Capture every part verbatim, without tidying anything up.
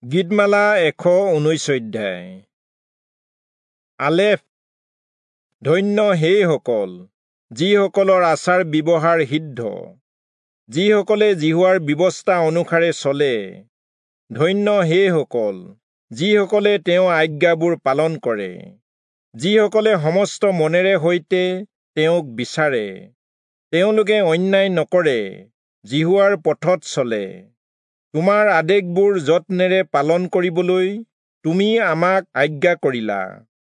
গীতমালা এশ ঊনৈশ অধ্যায়। আলেফ। ধন্য সেইসকল যিসকলৰ আচাৰ ব্যৱহাৰ সিদ্ধ, যিসকলে যিহোৱাৰ ব্যৱস্থা অনুসাৰে চলে। ধন্য সেইসকল যিসকলে তেওঁৰ আজ্ঞাবোৰ পালন কৰে, যিসকলে সমস্ত মনেৰে সৈতে তেওঁক বিচাৰে। তেওঁলোকে অন্যায় নকৰে, যিহোৱাৰ পথত চলে। তোমাৰ আদেশবোৰ যত্নেৰে পালন কৰিবলৈ তুমি আমাক আজ্ঞা কৰিলা।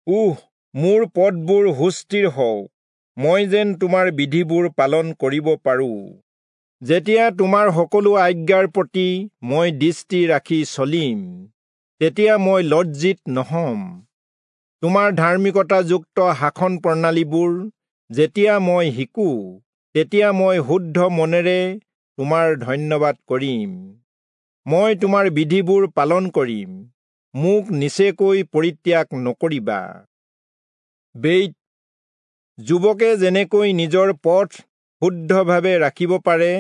উহ, মোৰ পথবোৰ সুস্থিৰ হওক, মই যেন তোমাৰ বিধিবোৰ পালন কৰিব পাৰোঁ। যেতিয়া তোমাৰ সকলো আজ্ঞাৰ প্ৰতি মই দৃষ্টি ৰাখি চলিম, তেতিয়া মই লজ্জিত নহ'ম। তোমাৰ ধাৰ্মিকতাযুক্ত শাসন প্ৰণালীবোৰ যেতিয়া মই শিকোঁ, তেতিয়া মই শুদ্ধ মনেৰে তোমাৰ ধন্যবাদ কৰিম। মই তোমাৰ বিধিবোৰ পালন কৰিম, মোক নিচেকৈ পৰিত্যাগ নকৰিবা। বেইত। যুৱকে যেনেকৈ নিজৰ পথ শুদ্ধভাৱে ৰাখিব পাৰে,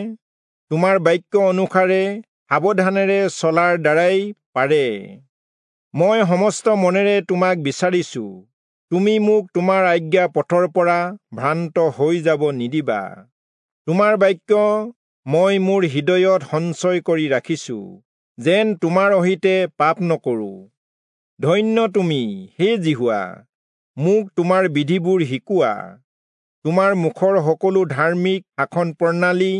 তোমাৰ বাক্য অনুসাৰে সাৱধানেৰে চলাৰ দ্বাৰাই পাৰে। মই সমস্ত মনেৰে তোমাক বিচাৰিছো, তুমি মোক তোমাৰ আজ্ঞা পথৰ পৰা ভ্ৰান্ত হৈ যাব নিদিবা। তোমাৰ বাক্য মই মোৰ হৃদয়ত সঞ্চয় কৰি ৰাখিছো, যেন তোমাৰ অহিতে পাপ নকৰো। ধন্য তুমি, হে যিহোৱা, মোক তোমাৰ বিধিবোৰ শিকোৱা। তোমাৰ মুখৰ সকলো ধাৰ্মিক শাসন প্ৰণালী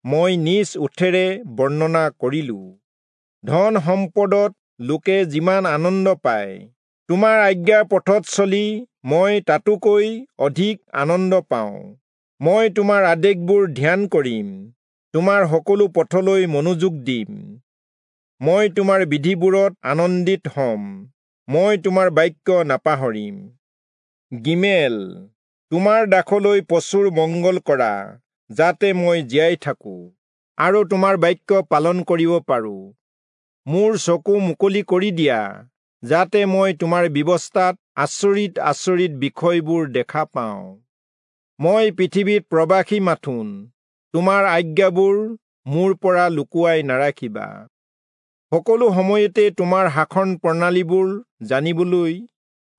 মই নিজ ওঠেৰে বৰ্ণনা কৰিলো। ধন সম্পদত লোকে যিমান আনন্দ পায়, তোমাৰ আজ্ঞাৰ পথত চলি মই তাতোকৈ অধিক আনন্দ পাওঁ। মই তোমাৰ আদেশবোৰ ধ্যান কৰিম, তোমাৰ সকলো পথলৈ মনোযোগ দিম। মই তোমাৰ বিধিবোৰত আনন্দিত হ'ম, মই তোমাৰ বাক্য নাপাহৰিম। গিমেল। তোমাৰ দাসলৈ প্ৰচুৰ মংগল কৰা, যাতে মই জীয়াই থাকোঁ আৰু তোমাৰ বাক্য পালন কৰিব পাৰোঁ। মোৰ চকু মুকলি কৰি দিয়া, যাতে মই তোমাৰ ব্যৱস্থাত আচৰিত আচৰিত বিষয়বোৰ দেখা পাওঁ। মই পৃথিৱীত প্ৰবাসী মাথোন, তোমাৰ আজ্ঞাবোৰ মোৰ পৰা লুকুৱাই নাৰাখিবা। সকলো সময়তে তোমাৰ শাসন প্ৰণালীবোৰ জানিবলৈ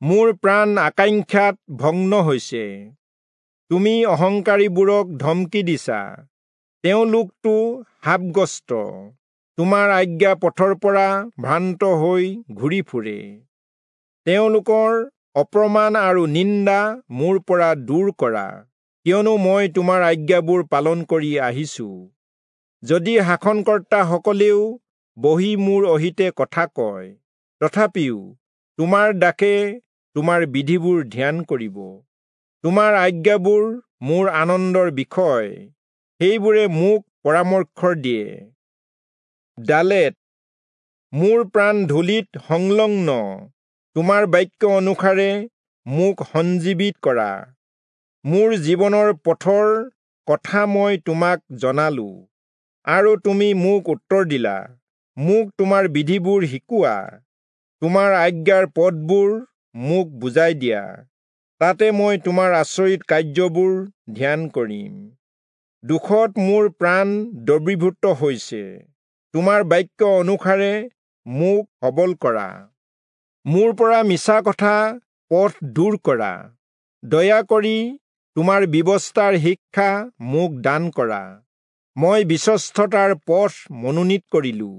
মোৰ প্ৰাণ আকাংক্ষাত ভগ্ন হৈছে। তুমি অহংকাৰীবোৰক ধমকি দিছা, তেওঁলোকতো শাপগ্ৰস্ত, তোমাৰ আজ্ঞা পথৰ পৰা ভ্ৰান্ত হৈ ঘূৰি ফুৰে। তেওঁলোকৰ অপমান আৰু নিন্দা মোৰ পৰা দূৰ কৰা, কিয়নো মই তোমাৰ আজ্ঞাবোৰ পালন কৰি আহিছো। যদি শাসনকৰ্তাসকলেও বহি মোৰ অহিতে কথা কয়, তথাপিও তোমাৰ দাসে তোমাৰ বিধিবোৰ ধ্যান কৰিব। তোমাৰ আজ্ঞাবোৰ মোৰ আনন্দৰ বিষয়, সেইবোৰে মোক পৰামৰ্শ দিয়ে। দালেত। মোৰ প্ৰাণ ধূলিত সংলগ্ন, তোমাৰ বাক্য অনুসাৰে মোক সঞ্জীৱিত কৰা। মোৰ জীৱনৰ পথৰ কথা মই তোমাক জনালো, আৰু তুমি মোক উত্তৰ দিলা। মোক তোমাৰ বিধিবোৰ শিকোৱা, তোমাৰ আজ্ঞাৰ পথবোৰ মোক বুজাই দিয়া, তাতে মই তোমাৰ আচৰিত কাৰ্যবোৰ ধ্যান কৰিম। দুখত মোৰ প্ৰাণ দ্ৰৱীভূত হৈছে, তোমাৰ বাক্য অনুসাৰে মোক সবল কৰা। মোৰ পৰা মিছা কথা পথ দূৰ কৰা, দয়া কৰি তোমাৰ ব্যৱস্থাৰ শিক্ষা মোক দান কৰা। মই বিশ্বস্ততাৰ পথ মনোনীত কৰিলো,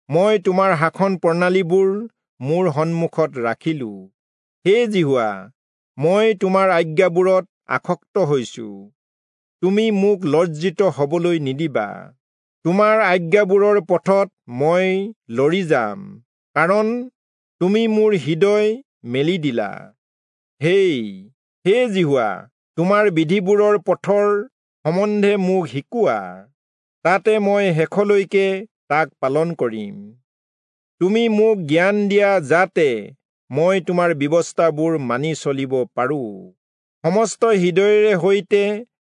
মই তোমাৰ শাসন প্ৰণালীবোৰ মোৰ সন্মুখত ৰাখিলো। হে যিহোৱা, মই তোমাৰ আজ্ঞাবোৰত আসক্ত হৈছো, তুমি মোক লজ্জিত হবলৈ নিদিবা। তোমাৰ আজ্ঞাবোৰৰ পথত মই লৰি যাম, কাৰণ তুমি মোৰ হৃদয় মেলি দিলা। হেই হে যিহোৱা, তোমাৰ বিধিবোৰৰ পথৰ সম্বন্ধে মোক শিকোৱা, তাতে মই শেষলৈকে তাক পালন কৰিম। তুমি মোক জ্ঞান দিয়া, যাতে মই তোমাৰ ব্যৱস্থাবোৰ মানি চলিব পাৰোঁ, সমস্ত হৃদয়েৰে সৈতে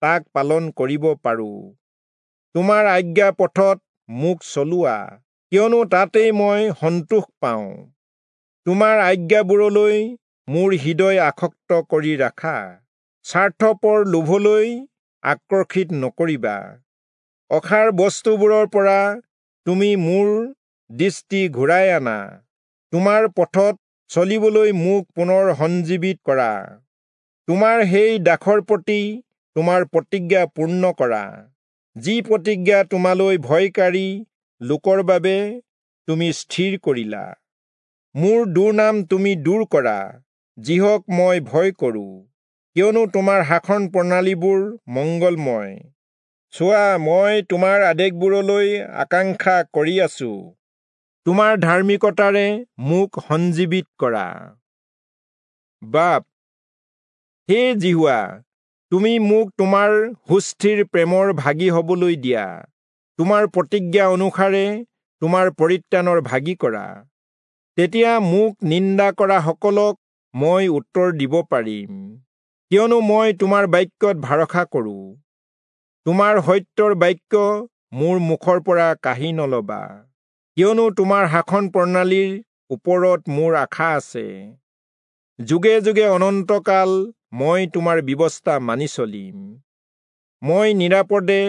তাক পালন কৰিব পাৰোঁ। তোমাৰ আজ্ঞা পথত মোক চলোৱা, কিয়নো তাতেই মই সন্তোষ পাওঁ। তোমাৰ আজ্ঞাবোৰলৈ মোৰ হৃদয় আসক্ত কৰি ৰাখা, স্বাৰ্থপৰ লোভলৈ আকৰ্ষিত নকৰিবা। অসাৰ বস্তুবোৰৰ পৰা তুমি মোৰ দৃষ্টি ঘূৰাই আনা, তোমাৰ পথত চলিবলৈ মোক পুনৰ সঞ্জীৱিত কৰা। তোমাৰ সেই দাসৰ প্ৰতি তোমাৰ প্ৰতিজ্ঞা পূৰ্ণ কৰা, যি প্ৰতিজ্ঞা তোমালৈ ভয়কাৰী লোকৰ বাবে তুমি স্থিৰ কৰিলা। মোৰ দুৰ্নাম তুমি দূৰ কৰা, যিহক মই ভয় কৰোঁ, কিয়নো তোমাৰ শাসন প্ৰণালীবোৰ মংগলময়। চোৱা, মই তোমাৰ আদেশবোৰলৈ আকাংক্ষা কৰি আছো, তোমাৰ ধাৰ্মিকতাৰে মোক সঞ্জীৱিত কৰা। বাপ, হে যিহোৱা, তুমি মোক তোমাৰ সুস্থিৰ প্ৰেমৰ ভাগী হবলৈ দিয়া, তোমাৰ প্ৰতিজ্ঞা অনুসাৰে তোমাৰ পৰিত্ৰাণৰ ভাগী কৰা। তেতিয়া মোক নিন্দা কৰা সকলক মই উত্তৰ দিব পাৰিম, কিয়নো মই তোমাৰ বাক্যত ভৰসা কৰোঁ। তোমাৰ সত্যৰ বাক্য মোৰ মুখৰ পৰা কাঢ়ি নলবা, কিয়নো তোমাৰ শাসন প্ৰণালীৰ ওপৰত মোৰ আশা আছে। যুগে যুগে অনন্তকাল মই তোমাৰ ব্যৱস্থা মানি চলিম। মই নিৰাপদে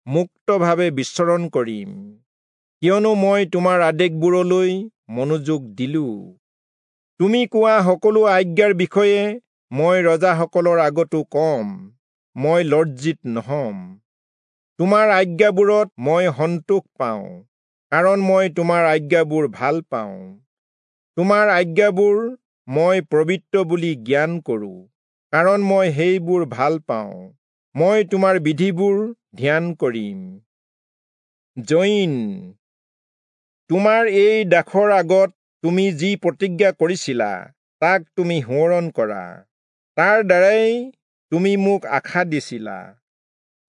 মুক্তভাৱে বিচৰণ কৰিম, কিয়নো মই তোমাৰ আদেশবোৰলৈ মনোযোগ দিলোঁ। তুমি কোৱা সকলো আজ্ঞাৰ বিষয়ে মই ৰজাসকলৰ আগতো কম, মই লজ্জিত নহম। তোমাৰ আজ্ঞাবোৰত মই সন্তোষ পাওঁ, কাৰণ মই তোমাৰ আজ্ঞাবোৰ ভাল পাওঁ। তোমাৰ আজ্ঞাবোৰ মই পবিত্ৰ বুলি জ্ঞান কৰোঁ, কাৰণ মই সেইবোৰ ভাল পাওঁ। মই তোমাৰ বিধিবোৰ ধ্যান কৰিম। জৈন, তোমাৰ এই দাসৰ আগত তুমি যি প্ৰতিজ্ঞা কৰিছিলা, তাক তুমি সোঁৱৰণ কৰা। তাৰ দ্বাৰাই তুমি মোক আশা দিছিলা।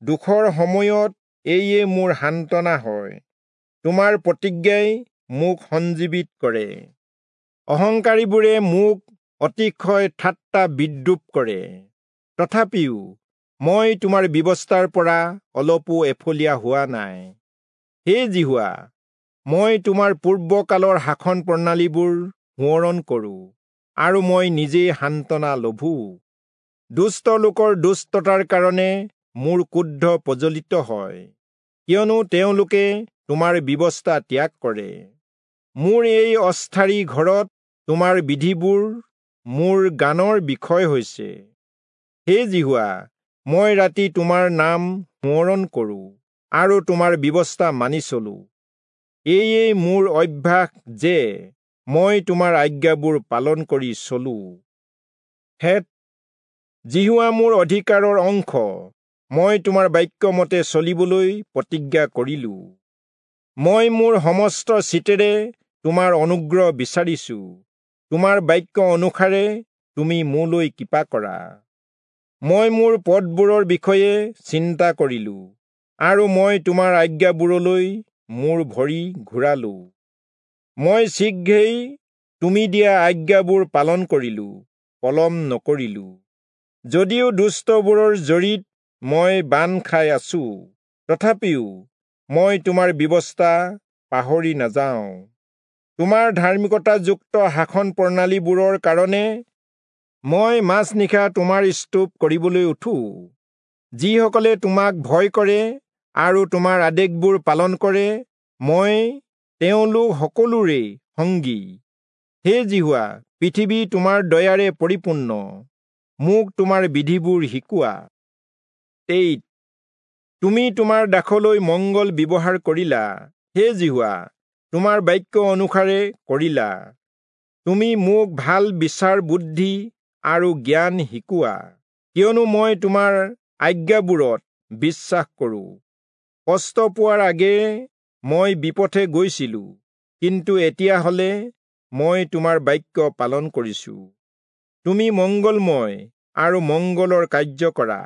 দুখৰ সময়ত এইয়ে মোৰ সান্তনা হয়, তোমাৰ প্ৰতিজ্ঞাই মোক সঞ্জীৱিত কৰে। অহংকাৰীবোৰে মোক অতিশয় ঠাট্টা বিদ্ৰূপ কৰে, তথাপিও মই তোমাৰ ব্যৱস্থাৰ পৰা অলপো এফলীয়া হোৱা নাই। হে যিহোৱা, মই তোমাৰ পূৰ্বকালৰ শাসন প্ৰণালীবোৰ সোঁৱৰণ কৰোঁ, আৰু মই নিজেই সান্তনা লভো। দুষ্ট লোকৰ দুষ্টতাৰ কাৰণে মোৰ ক্ৰোধ প্ৰজ্বলিত হয়, কিয়নো তেওঁলোকে তোমাৰ ব্যৱস্থা ত্যাগ কৰে। মোৰ এই অস্থায়ী ঘৰত তোমাৰ বিধিবোৰ মোৰ গানৰ বিষয় হৈছে। হে যিহোৱা, মই ৰাতি তোমাৰ নাম সোঁৱৰণ কৰোঁ আৰু তোমাৰ ব্যৱস্থা মানি চলোঁ। এয়ে মোৰ অভ্যাস যে মই তোমাৰ আজ্ঞাবোৰ পালন কৰি চলোঁ। হেত, যিহোৱা মোৰ অধিকাৰৰ অংশ, মই তোমাৰ বাক্যমতে চলিবলৈ প্ৰতিজ্ঞা কৰিলোঁ। মই মোৰ সমস্ত চিতেৰে তোমাৰ অনুগ্ৰহ বিচাৰিছোঁ, তোমাৰ বাক্য অনুসাৰে তুমি মোলৈ কৃপা কৰা। মই মোৰ পথবোৰৰ বিষয়ে চিন্তা কৰিলোঁ, আৰু মই তোমাৰ আজ্ঞাবোৰলৈ মোৰ ভৰি ঘূৰালোঁ। মই শীঘ্ৰেই তুমি দিয়া আজ্ঞাবোৰ পালন কৰিলোঁ, পলম নকৰিলোঁ। যদিও দুষ্টবোৰৰ জৰিত মই বান্ধ খাই আছোঁ, তথাপিও মই তোমাৰ ব্যৱস্থা পাহৰি নাযাওঁ। তোমাৰ ধাৰ্মিকতাযুক্ত শাসন প্ৰণালীবোৰৰ কাৰণে মই মাজনিশা তোমাৰ স্তুপ কৰিবলৈ উঠোঁ। যিসকলে তোমাক ভয় কৰে আৰু তোমাৰ আদেশবোৰ পালন কৰে, মই তেওঁলোক সকলোৰে সংগী। হে যিহোৱা, পৃথিৱী তোমাৰ দয়াৰে পৰিপূৰ্ণ, মোক তোমাৰ বিধিবোৰ শিকোৱা। তেইত, তুমি তোমাৰ দাসলৈ মংগল ব্যৱহাৰ কৰিলা, হে যিহোৱা, তোমাৰ বাক্য অনুসাৰে কৰিলা। তুমি মোক ভাল বিচাৰ বুদ্ধি আৰু জ্ঞান শিকোৱা, কিয়নো মই তোমাৰ আজ্ঞাবোৰত বিশ্বাস কৰোঁ। কষ্ট পোৱাৰ আগেয়ে মই বিপথে গৈছিলোঁ, কিন্তু এতিয়া হলে মই তোমাৰ বাক্য পালন কৰিছোঁ। তুমি মংগলময় আৰু মংগলৰ কাৰ্য কৰা,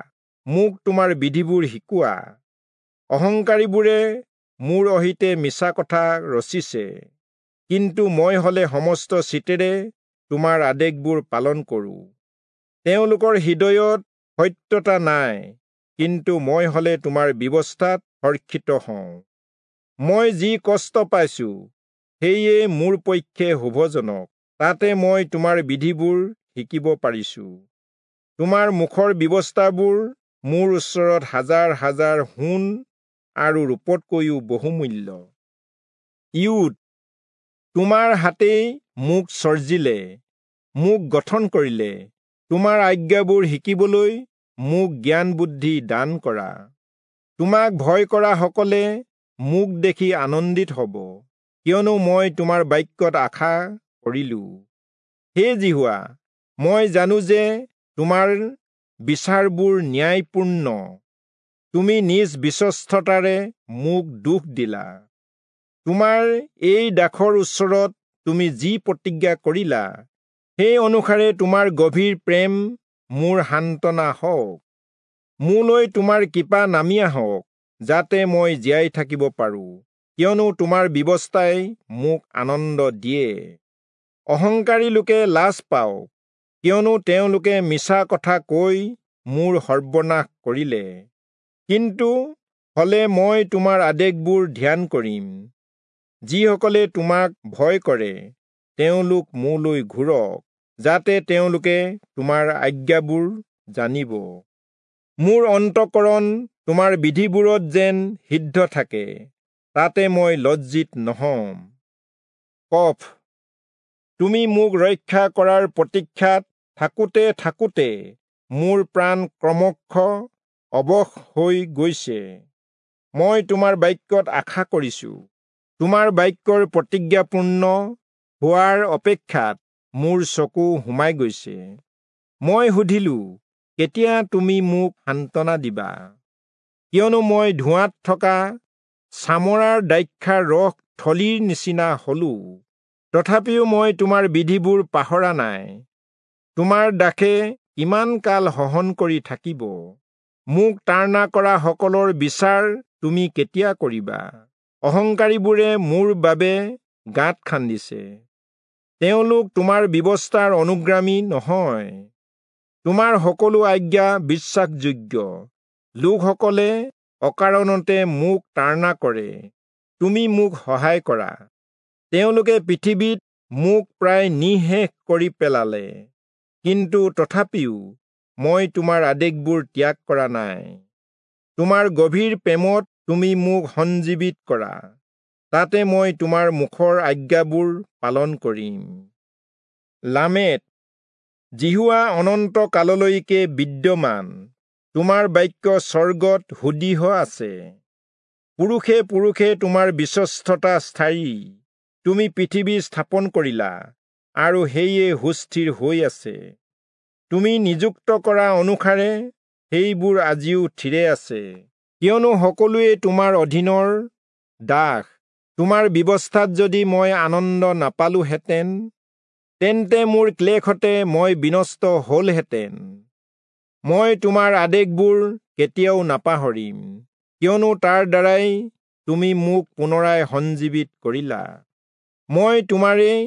মোক তোমাৰ বিধিবোৰ শিকোৱা। অহংকাৰীবোৰে মোৰ অহিতে মিছা কথা ৰচিছে, কিন্তু মই হলে সমস্ত চিতেৰে তোমাৰ আদেশবোৰ পালন কৰোঁ। তেওঁলোকৰ হৃদয়ত সত্যতা নাই, কিন্তু মই হলে তোমাৰ ব্যৱস্থাত হৰ্ষিত হওঁ। মই যি কষ্ট পাইছোঁ, সেয়ে মোৰ পক্ষে শুভজনক, তাতে মই তোমাৰ বিধিবোৰ শিকিব পাৰিছোঁ। তোমাৰ মুখৰ ব্যৱস্থাবোৰ মোৰ ওচৰত হাজাৰ হাজাৰ সোণ আৰু ৰূপতকৈও বহুমূল্য। ইউদ, তোমাৰ হাতেই মোক চৰ্জিলে, মোক গঠন কৰিলে। তোমাৰ আজ্ঞাবোৰ শিকিবলৈ মোক জ্ঞান বুদ্ধি দান কৰা। তোমাক ভয় কৰা সকলে মোক দেখি আনন্দিত হ'ব, কিয়নো মই তোমাৰ বাক্যত আশা কৰিলো। হে যিহোৱা, মই জানো যে তোমাৰ বিচাৰবোৰ ন্যায়পূৰ্ণ। তুমি নিজ বিশ্বস্ততাৰে মোক দুখ দিলা। তোমাৰ এই দাসৰ ওচৰত তুমি যি প্ৰতিজ্ঞা কৰিলা, সেই অনুসাৰে তোমাৰ গভীৰ প্ৰেম মোৰ সান্তনা হওক। মোলৈ তোমাৰ কৃপা নামি আহক, যাতে মই জীয়াই থাকিব পাৰোঁ, কিয়নো তোমাৰ ব্যৱস্থাই মোক আনন্দ দিয়ে। অহংকাৰী লোকে লাজ পাওক, কিয়নো তেওঁলোকে মিছা কথা কৈ মোৰ সৰ্বনাশ কৰিলে। কিন্তু হলে মই তোমাৰ আদেশবোৰ ধ্যান কৰিম। যিসকলে তোমাক ভয় কৰে তেওঁলোক মোলৈ ঘূৰক, যাতে তেওঁলোকে তোমাৰ আজ্ঞাবোৰ জানিব। মোৰ অন্তঃকৰণ তোমাৰ বিধিবোৰত যেন সিদ্ধ থাকে, তাতে মই লজ্জিত নহম। কফ। তুমি মোক ৰক্ষা কৰাৰ প্ৰতীক্ষাত থাকোঁতে থাকোঁতে মোৰ প্ৰাণ ক্ৰমশ অৱশ হৈ গৈছে। মই তোমাৰ বাক্যত আশা কৰিছোঁ। তোমাৰ বাক্যৰ প্ৰতিজ্ঞাপূৰ্ণ হোৱাৰ অপেক্ষাত মোৰ চকু সোমাই গৈছে। মই সুধিলোঁ, কেতিয়া তুমি মোক সান্তনা দিবা? কিয়নো মই ধোঁৱাত থকা চামৰাৰ দ্ৰাক্ষাৰ ৰস থলীৰ নিচিনা হলো। তথাপিও মই তোমাৰ বিধিবোৰ পাহৰা নাই। তোমাৰ দাসে কিমান কাল সহন কৰি থাকিব? মোক তাড়না কৰা সকলৰ বিচাৰ তুমি কেতিয়া কৰিবা? অহংকাৰীবোৰে মোৰ বাবে গাঁত খান্দিছে, তেওঁলোক তোমাৰ ব্যৱস্থাৰ অনুগ্ৰামী নহয়। তোমাৰ সকলো আজ্ঞা বিশ্বাসযোগ্য। লোকসকলে অকাৰণতে মোক তাড়না কৰে, তুমি মোক সহায় কৰা। তেওঁলোকে পৃথিৱীত মোক প্ৰায় নিঃশেষ কৰি পেলালে, কিন্তু তথাপিও মই তোমাৰ আদেশবোৰ ত্যাগ কৰা নাই। তোমাৰ গভীৰ প্ৰেমত তুমি মোক সঞ্জীৱিত কৰা, তাতে মই তোমাৰ মুখৰ আজ্ঞাবোৰ পালন কৰিম। লামেত। যিহোৱা অনন্ত কাললৈকে বিদ্যমান, তোমাৰ বাক্য স্বৰ্গত সুদৃঢ় আছে। পুৰুষে পুৰুষে তোমাৰ বিশ্বস্ততা স্থায়ী। তুমি পৃথিৱী স্থাপন কৰিলা, আৰু সেয়ে সুস্থিৰ হৈ আছে। তুমি নিযুক্ত কৰা অনুসাৰে সেইবোৰ আজিও থিৰে আছে, কিয়নো সকলোৱে তোমাৰ অধীনৰ দাস। তোমাৰ ব্যৱস্থাত যদি মই আনন্দ নাপালোহেঁতেন, তেন্তে মোৰ ক্লেশতে মই বিনষ্ট হ'লহেঁতেন। মই তোমাৰ আদেশবোৰ কেতিয়াও নাপাহৰিম, কিয়নো তাৰ দ্বাৰাই তুমি মোক পুনৰাই সঞ্জীৱিত কৰিলা। মই তোমাৰেই,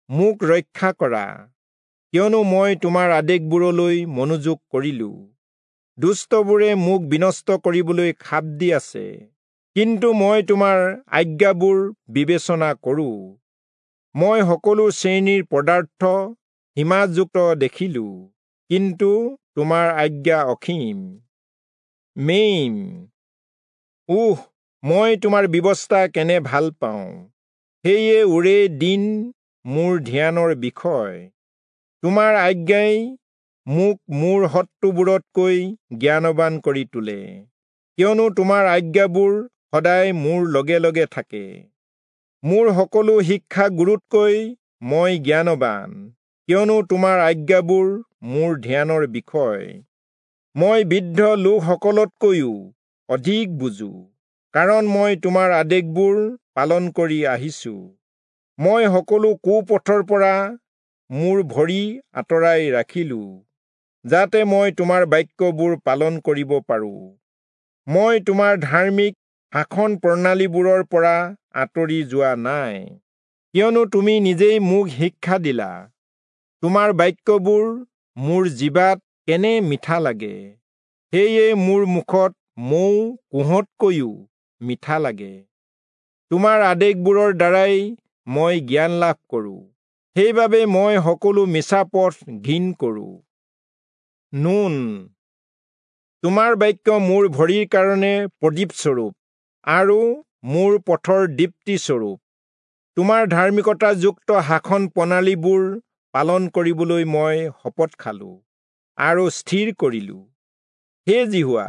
মোক ৰক্ষা কৰা, কিয়নো মই তোমাৰ আদেশবোৰলৈ মনোযোগ কৰিলোঁ। দুষ্টবোৰে মোক বিনষ্ট কৰিবলৈ খাপ দি আছে, কিন্তু মই তোমাৰ আজ্ঞাবোৰ বিবেচনা কৰোঁ। মই সকলো শ্ৰেণীৰ পদাৰ্থ সীমাযুক্ত দেখিলোঁ, কিন্তু তোমাৰ আজ্ঞা অসীম। মেইম। উহ, মই তোমাৰ ব্যৱস্থা কেনে ভাল পাওঁ! সেয়ে ওৰে দিন মোৰ ধ্যানৰ বিষয়। তোমাৰ আজ্ঞাই মোক মোৰ শত্ৰুবোৰতকৈ জ্ঞানৱান কৰি তোলে, কিয়নো তোমাৰ আজ্ঞাবোৰ সদায় মোৰ লগে লগে থাকে। মোৰ সকলো শিক্ষা গুৰুতকৈ মই জ্ঞানৱান, কিয়নো তোমাৰ আজ্ঞাবোৰ মোৰ ধ্যানৰ বিষয়। মই বৃদ্ধ লোকসকলতকৈও অধিক বুজো, কাৰণ মই তোমাৰ আদেশবোৰ পালন কৰি আহিছোঁ। মই সকলো কুপথৰ পৰা মোৰ ভৰি আঁতৰাই ৰাখিলোঁ, যাতে মই তোমাৰ বাক্যবোৰ পালন কৰিব পাৰোঁ। মই তোমাৰ ধাৰ্মিক শাসন প্ৰণালীবোৰৰ পৰা আঁতৰি যোৱা নাই, কিয়নো তুমি নিজেই মোক শিক্ষা দিলা। তোমাৰ বাক্যবোৰ মোৰ জিভাত কেনে মিঠা লাগে, সেয়ে মোৰ মুখত মৌ কোঁহতকৈও মিঠা লাগে। তোমাৰ আদেশবোৰৰ দ্বাৰাই মই জ্ঞান লাভ কৰোঁ, সেইবাবে মই সকলো মিছা পথ ঘিণ কৰোঁ। নুন। তোমাৰ বাক্য মোৰ ভৰিৰ কাৰণে প্ৰদীপস্বৰূপ আৰু মোৰ পথৰ দীপ্তিস্বৰূপ। তোমাৰ ধাৰ্মিকতাযুক্ত শাসন প্ৰণালীবোৰ পালন কৰিবলৈ মই শপত খালো আৰু স্থিৰ কৰিলো। হে যিহোৱা,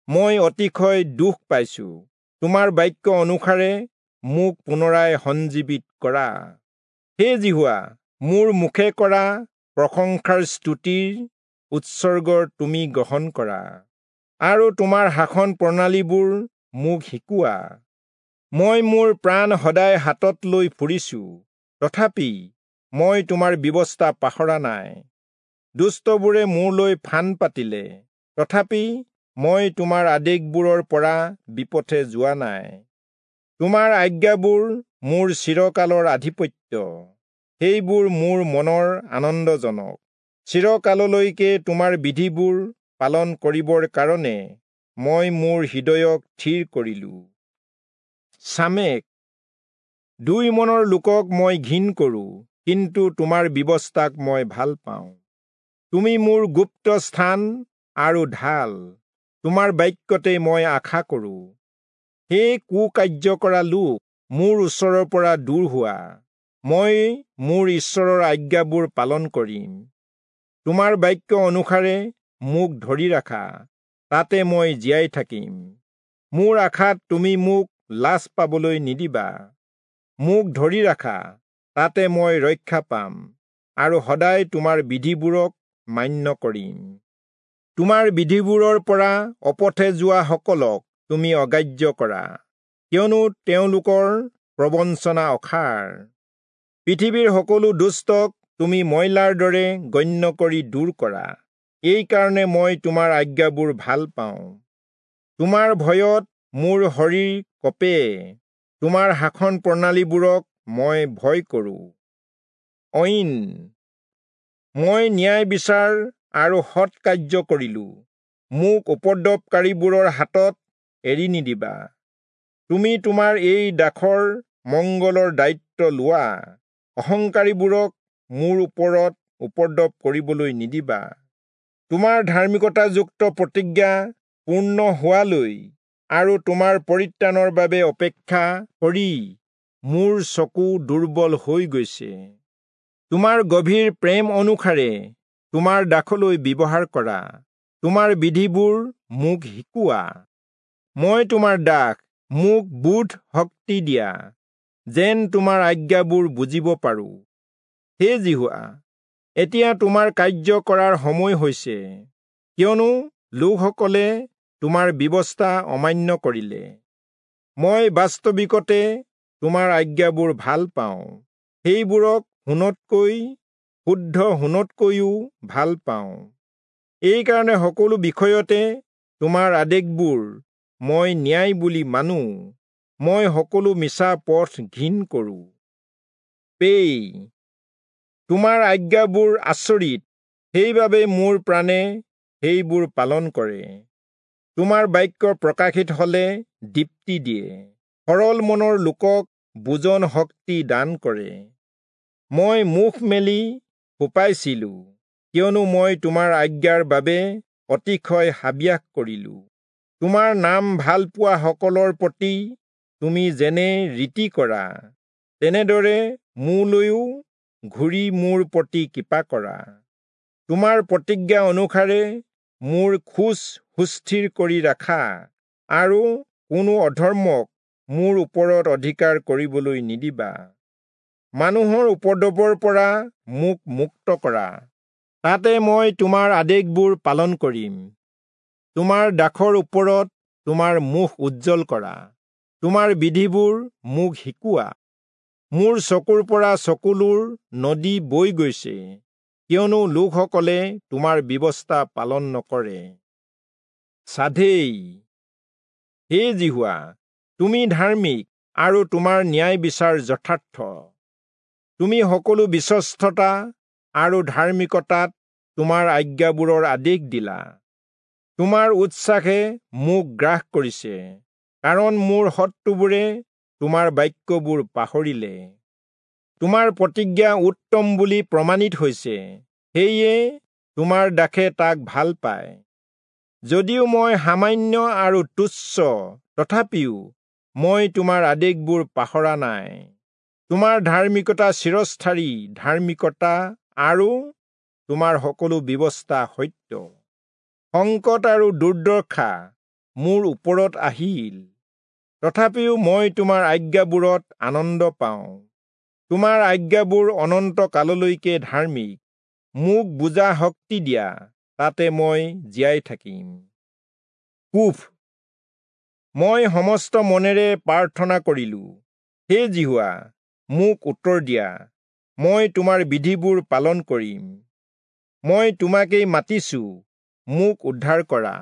মই অতিশয় দুখ পাইছো। তোমাৰ বাক্য অনুসাৰে মোক পুনৰাই সঞ্জীৱিত কৰা। হে যিহোৱা, মোৰ মুখে কৰা প্ৰশংসাৰ স্তুতিৰ উৎসৰ্গৰ তুমি গ্ৰহণ কৰা আৰু তোমাৰ শাসন প্ৰণালীবোৰ মোক শিকোৱা। মই মোৰ প্ৰাণ সদায় হাতত লৈ ফুৰিছো, তথাপি মই তোমাৰ ব্যৱস্থা পাহৰা নাই। দুষ্টবোৰে মোৰলৈ ফান পাতিলে, তথাপি মই তোমাৰ আদেশবোৰৰ পৰা বিপথে যোৱা নাই। তোমাৰ আজ্ঞাবোৰ মোৰ চিৰকালৰ আধিপত্য, সেইবোৰ মোৰ মনৰ আনন্দজনক। চিৰকাললৈকে তোমাৰ বিধিবোৰ পালন কৰিবৰ কাৰণে মই মোৰ হৃদয়ক থিৰ কৰিলো। চামেক, দুই মনৰ লোকক মই ঘিণ কৰোঁ, কিন্তু তোমাৰ ব্যৱস্থাক মই ভাল পাওঁ। তুমি মোৰ গুপ্ত স্থান আৰু ঢাল, তোমাৰ বাক্যতে মই আশা কৰোঁ। হে কুকাৰ্য কৰা লোক, মোৰ ওচৰৰ পৰা দূৰ হোৱা। মই মোৰ ঈশ্বৰৰ আজ্ঞাবোৰ পালন কৰিম। তোমাৰ বাক্য অনুসাৰে মোক ধৰি ৰাখা, তাতে মই জীয়াই থাকিম। মোৰ আশাত তুমি মোক লাজ পাবলৈ নিদিবা। মোক ধৰি ৰাখা, তাতে মই ৰক্ষা পাম আৰু সদায় তোমাৰ বিধিবোৰক মান্য কৰিম। তোমাৰ বিধিবোৰৰ পৰা অপথে যোৱাসকলক তুমি অগ্ৰাহ্য কৰা, কিয়নো তেওঁলোকৰ প্ৰবঞ্চনা অসাৰ। পৃথিৱীৰ সকলো দুষ্টক তুমি ময়লাৰ দৰে গণ্য কৰি দূৰ কৰা। এইকাৰণে মই তোমাৰ আজ্ঞাবোৰ ভাল পাওঁ। তোমাৰ ভয়ত মোৰ শৰীৰ কঁপে, তোমাৰ শাসন প্ৰণালীবোৰক মই ভয় কৰোঁ। ঐন, মই ন্যায় বিচাৰ আৰু সৎ কাৰ্য কৰিলো, মোক উপদ্ৰৱকাৰীবোৰৰ হাতত এৰি নিদিবা। তুমি তোমাৰ এই দাসৰ মংগলৰ দায়িত্ব লোৱা, অহংকাৰীবোৰক মোৰ ওপৰত উপদ্ৰৱ কৰিবলৈ নিদিবা। তোমাৰ ধাৰ্মিকতাযুক্ত প্ৰতিজ্ঞা পূৰ্ণ হোৱালৈ আৰু তোমাৰ পৰিত্ৰাণৰ বাবে অপেক্ষা কৰি মোৰ চকু দুৰ্বল হৈ গৈছে। তোমাৰ গভীৰ প্ৰেম অনুসাৰে তোমাৰ দাসলৈ ব্যৱহাৰ কৰা, তোমাৰ বিধিবোৰ মোক শিকোৱা। মই তোমাৰ দাস, মোক বোধ শক্তি দিয়া, যেন তোমাৰ আজ্ঞাবোৰ বুজিব পাৰোঁ। হে যিহোৱা, এতিয়া তোমাৰ কাৰ্য কৰাৰ সময় হৈছে, কিয়নো লোকসকলে তোমাৰ ব্যৱস্থা অমান্য কৰিলে। মই বাস্তৱিকতে তোমাৰ আজ্ঞাবোৰ ভাল পাওঁ, সেইবোৰক সোণতকৈ শুদ্ধ সোণতকৈও ভাল পাওঁ। এইকাৰণে সকলো বিষয়তে তোমাৰ আদেশবোৰ মই ন্যায় বুলি মানো। মই সকলো মিছা পথ ঘিণ কৰোঁ। পেই, তোমাৰ আজ্ঞাবোৰ আচৰিত, সেইবাবে মোৰ প্ৰাণে সেইবোৰ পালন কৰে। তোমাৰ বাক্য প্ৰকাশিত হলে দীপ্তি দিয়ে, সৰল মনৰ লোকক বুজন শক্তি দান কৰে। মই মুখ মেলি ফোপাইছিলো, কিয়নো মই তোমাৰ আজ্ঞাৰ বাবে অতিশয় হাবিয়াস কৰিলো। তোমাৰ নাম ভাল পোৱাসকলৰ প্ৰতি তুমি যেনে ৰীতি কৰা, তেনেদৰে মোলৈও ঘূৰি মোৰ প্ৰতি কৃপা কৰা। তোমাৰ প্ৰতিজ্ঞা অনুসাৰে মোৰ খোজ সুস্থিৰ কৰি ৰাখা আৰু কোনো অধৰ্মক মোৰ ওপৰত অধিকাৰ কৰিবলৈ নিদিবা। মানুহৰ উপদ্ৰৱৰ পৰা মোক মুক্ত কৰা, তাতে মই তোমাৰ আদেশবোৰ পালন কৰিম। তোমাৰ দাসৰ ওপৰত তোমাৰ মুখ উজ্জ্বল কৰা, তোমাৰ বিধিবোৰ মোক শিকোৱা। মোৰ চকুৰ পৰা চকুলোৰ নদী বৈ গৈছে, কিয়নো লোকসকলে তোমাৰ ব্যৱস্থা পালন নকৰে। সাধেই, হে যিহোৱা, তুমি ধাৰ্মিক আৰু তোমাৰ ন্যায় বিচাৰ যথাৰ্থ। তুমি সকলো বিশ্বস্ততা আৰু ধাৰ্মিকতাত তোমাৰ আজ্ঞাবোৰৰ আদেশ দিলা। তোমাৰ উৎসাহে মোক গ্ৰাস কৰিছে, কাৰণ মোৰ শত্ৰুবোৰে তোমাৰ বাক্যবোৰ পাহৰিলে। তোমাৰ প্ৰতিজ্ঞা উত্তম বুলি প্ৰমাণিত হৈছে, সেয়ে তোমাৰ দাসে তাক ভাল পায়। যদিও মই সামান্য আৰু তুচ্ছ, তথাপিও মই তোমাৰ আদেশবোৰ পাহৰা নাই। তোমাৰ ধাৰ্মিকতা চিৰস্থায়ী ধাৰ্মিকতা আৰু তোমাৰ সকলো ব্যৱস্থা সত্য। সংকট আৰু দুৰ্দশা মোৰ ওপৰত আহিল, তথাপিও মই তোমাৰ আজ্ঞাবোৰত আনন্দ পাওঁ। তোমাৰ আজ্ঞাবোৰ অনন্ত কাললৈকে ধাৰ্মিক। মোক বুজা শক্তি দিয়া, তাতে মই জীয়াই থাকিম। কুফ। মই সমস্ত মনেৰে প্ৰাৰ্থনা কৰিলো, হে যিহোৱা, মোক উত্তৰ দিয়া। মই তোমাৰ বিধিবোৰ পালন কৰিম। মই তোমাকেই মাতিছো, মোক উদ্ধাৰ কৰা।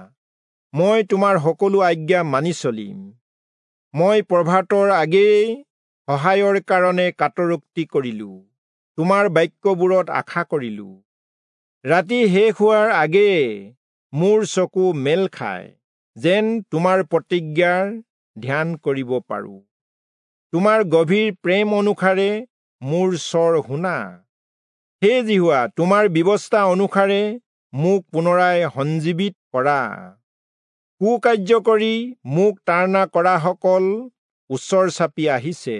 মই তোমাৰ সকলো আজ্ঞা মানি চলিম। মই প্ৰভাতৰ আগেয়ে সহায়ৰ কাৰণে কাতৰোক্তি কৰিলো, তোমাৰ বাক্যবোৰত আশা কৰিলো। ৰাতি শেষ হোৱাৰ আগেয়ে মোৰ চকু মেল খায়, যেন তোমাৰ প্ৰতিজ্ঞাৰ ধ্যান কৰিব পাৰো। তোমাৰ গভীৰ প্ৰেম অনুসাৰে মোৰ স্বৰ শুনা। হে যিহোৱা, তোমাৰ ব্যৱস্থা অনুসাৰে মোক পুনৰাই সঞ্জীৱিত কৰা। কুকাৰ্য কৰি মোক তাড়না কৰাসকল ওচৰ চাপি আহিছে,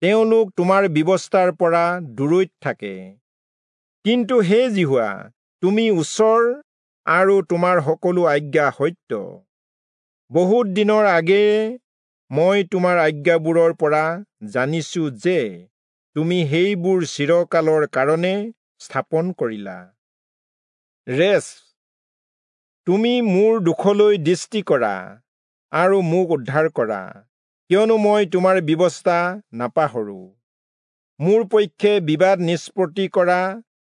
তেওঁলোক তোমাৰ ব্যৱস্থাৰ পৰা দূৰৈত থাকে। কিন্তু হে যিহোৱা, তুমি ওচৰ আৰু তোমাৰ সকলো আজ্ঞা সত্য। বহুত দিনৰ আগেয়ে মই তোমাৰ আজ্ঞাবোৰৰ পৰা জানিছো যে তুমি সেইবোৰ চিৰকালৰ কাৰণে স্থাপন কৰিলা। ৰেচ। তুমি মোৰ দুখলৈ দৃষ্টি কৰা আৰু মোক উদ্ধাৰ কৰা, কিয়নো মই তোমাৰ ব্যৱস্থা নাপাহৰো। মোৰ পক্ষে বিবাদ নিষ্পত্তি কৰা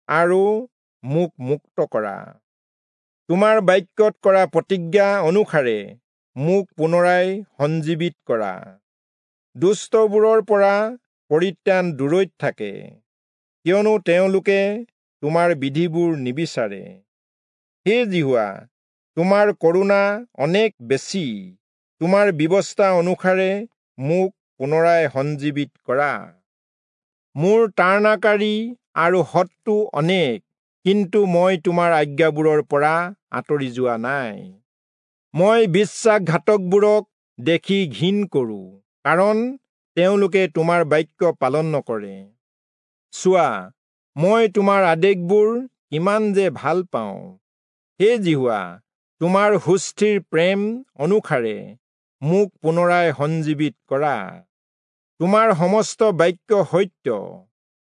আৰু মোক মুক্ত কৰা। তোমাৰ বাক্যত কৰা প্ৰতিজ্ঞা অনুসাৰে মোক পুনৰাই সঞ্জীৱিত কৰা। দুষ্টবোৰৰ পৰা পৰিত্ৰাণ দূৰৈত থাকে, কিয়নো তেওঁলোকে তোমাৰ বিধিবোৰ নিবিচাৰে। হে যিহোৱা, তোমাৰ কৰুণা অনেক বেছি, তোমাৰ ব্যৱস্থা অনুসাৰে মোক পুনৰাই সঞ্জীৱিত কৰা। মোৰ তাড়নাকাৰী আৰু শত্ৰু অনেক, কিন্তু মই তোমাৰ আজ্ঞাবোৰৰ পৰা আঁতৰি যোৱা নাই। মই বিশ্বাসঘাতকবোৰক দেখি ঘিণ কৰোঁ, কাৰণ তেওঁলোকে তোমাৰ বাক্য পালন নকৰে। চোৱা, মই তোমাৰ আদেশবোৰ কিমান যে ভাল পাওঁ। হে যিহোৱা, তোমাৰ সুস্থিৰ প্ৰেম অনুসাৰে মোক পুনৰাই সঞ্জীৱিত কৰা। তোমাৰ সমস্ত বাক্য সত্য,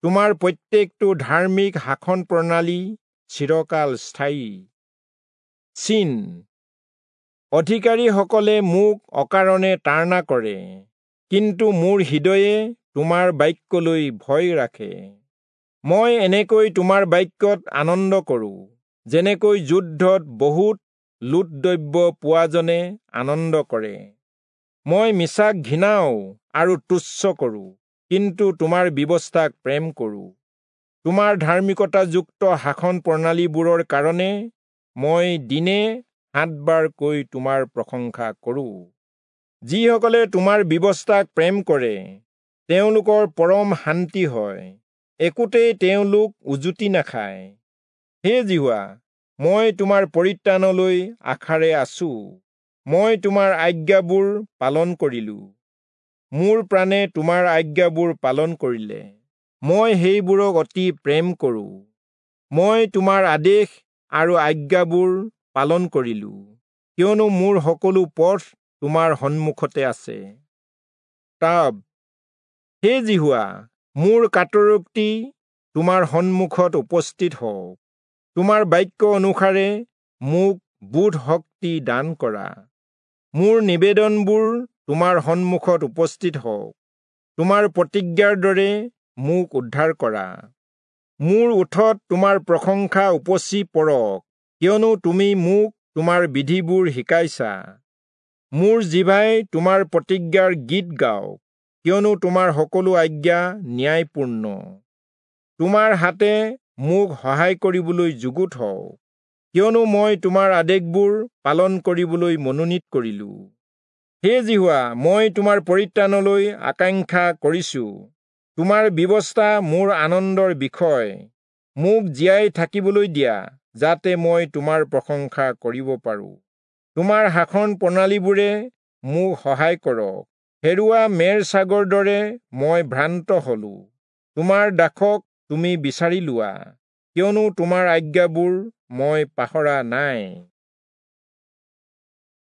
তোমাৰ প্ৰত্যেকটো ধাৰ্মিক শাসন প্ৰণালী চিৰকাল স্থায়ী। চিন। অধিকাৰীসকলে মোক অকাৰণে তাড়না কৰে, কিন্তু মোৰ হৃদয়ে তোমাৰ বাক্যলৈ ভয় ৰাখে। মই এনেকৈ তোমাৰ বাক্যত আনন্দ কৰোঁ, যেনেকৈ যুদ্ধত বহুত লুটদ্ৰব্য পোৱাজনে আনন্দ কৰে। মই মিছাক ঘৃণাও আৰু তুচ্ছ কৰোঁ, কিন্তু তোমাৰ ব্যৱস্থাক প্ৰেম কৰোঁ। তোমাৰ ধাৰ্মিকতাযুক্ত শাসন প্ৰণালীবোৰৰ কাৰণে মই দিনে সাতবাৰকৈ তোমাৰ প্ৰশংসা কৰোঁ। যিসকলে তোমাৰ ব্যৱস্থাক প্ৰেম কৰে, তেওঁলোকৰ পৰম শান্তি হয়, একোতেই তেওঁলোক উজুতি নাখায়। হে যিহোৱা, মই তোমাৰ পৰিত্ৰাণলৈ আশাৰে আছো। মই তোমাৰ আজ্ঞাবোৰ পালন কৰিলো। মোৰ প্ৰাণে তোমাৰ আজ্ঞাবোৰ পালন কৰিলে। মই সেইবোৰক অতি প্ৰেম কৰোঁ। মই তোমাৰ আদেশ আৰু আজ্ঞাবোৰ পালন কৰিলো, কিয়নো মোৰ সকলো পথ তোমাৰ সন্মুখতে আছে। তাব। হে যিহোৱা, মোৰ কাতৰোক্তি তোমাৰ সন্মুখত উপস্থিত হওক। তোমাৰ বাক্য অনুসাৰে মোক বোধ শক্তি দান কৰা। মোৰ নিবেদনবোৰ তোমাৰ সন্মুখত উপস্থিত হওক। তোমাৰ প্ৰতিজ্ঞাৰ দৰে মোক উদ্ধাৰ কৰা। মোৰ ওঠত তোমাৰ প্ৰশংসা উপচি পৰক, কিয়নো তুমি মোক তোমাৰ বিধিবোৰ শিকাইছা। মোৰ জিভাই তোমাৰ প্ৰতিজ্ঞাৰ গীত গাওক, কিয়নো তোমাৰ সকলো আজ্ঞা ন্যায়পূৰ্ণ। তোমাৰ হাতে মোক সহায় কৰিবলৈ যুগুত হওক, কিয়নো মই তোমাৰ আদেশবোৰ পালন কৰিবলৈ মনোনীত কৰিলো। হে যিহোৱা, মই তোমাৰ পৰিত্ৰাণলৈ আকাংক্ষা কৰিছো। তোমাৰ ব্যৱস্থা মোৰ আনন্দৰ বিষয়। মোক জীয়াই থাকিবলৈ দিয়া, যাতে মই তোমাৰ প্ৰশংসা কৰিব পাৰো। তোমাৰ শাসন প্ৰণালীবোৰে মোক সহায় কৰক, হেৰুৱা মেৰ ছাগৰ দৰে মই ভ্ৰান্ত হলো। তোমাৰ দাসক তুমি বিচাৰি লোৱা, কিয়নো তোমাৰ আজ্ঞাবোৰ মই পাহৰা নাই।